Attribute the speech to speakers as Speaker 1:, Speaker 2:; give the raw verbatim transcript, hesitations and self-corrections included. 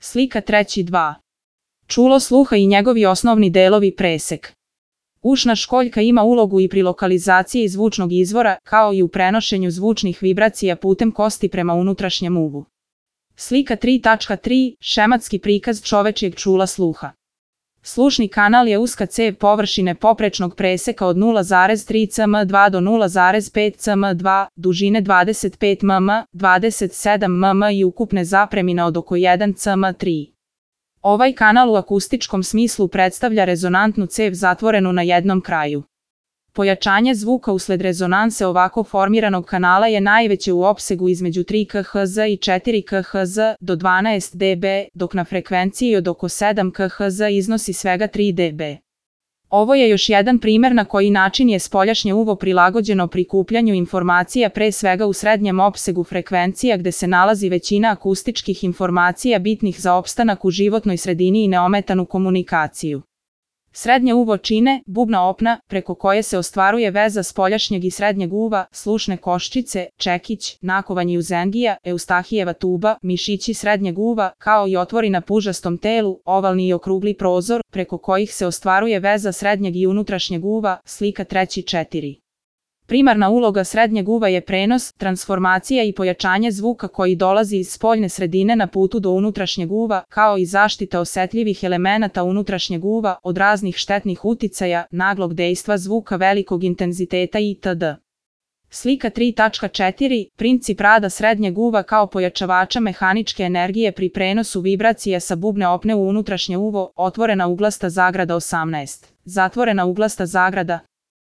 Speaker 1: Slika treći dva. Čulo sluha i njegovi osnovni delovi presek. Ušna školjka ima ulogu i pri lokalizaciji zvučnog izvora, kao i u prenošenju zvučnih vibracija putem kosti prema unutrašnjem uvu. Slika tri tačka tri. Šematski prikaz čovečjeg čula sluha. Slušni kanal je uska cev površine poprečnog preseka od nula zarez tri centimetra dva do nula zarez pet centimetara dva, dužine dvadeset pet milimetara, dvadeset sedam milimetara i ukupne zapremine od oko jedan centimetar tri. Ovaj kanal u akustičkom smislu predstavlja rezonantnu cev zatvorenu na jednom kraju. Pojačanje zvuka usled rezonanse ovako formiranog kanala je najveće u opsegu između tri kiloherca i četiri kiloherca do dvanaest decibela, dok na frekvenciji od oko sedam kiloherca iznosi svega tri decibela. Ovo je još jedan primer na koji način je spoljašnje uvo prilagođeno prikupljanju informacija pre svega u srednjem opsegu frekvencija gde se nalazi većina akustičkih informacija bitnih za opstanak u životnoj sredini i neometanu komunikaciju. Srednje uvo čine bubna opna, preko koje se ostvaruje veza spoljašnjeg i srednjeg uva, slušne koščice, čekić, nakovanje uzengija, eustahijeva tuba, mišići srednjeg uva, kao i otvori na pužastom telu, ovalni i okrugli prozor, preko kojih se ostvaruje veza srednjeg i unutrašnjeg uva, slika treći četiri. Primarna uloga srednjeg uva je prenos, transformacija i pojačanje zvuka koji dolazi iz spoljne sredine na putu do unutrašnjeg uva, kao i zaštita osetljivih elemenata unutrašnjeg uva od raznih štetnih uticaja, naglog dejstva zvuka velikog intenziteta itd. Slika tri tačka četiri. Princip rada srednjeg uva kao pojačavača mehaničke energije pri prenosu vibracija sa bubne opne u unutrašnje uvo, otvorena uglasta zagrada osamnaest, zatvorena uglasta zagrada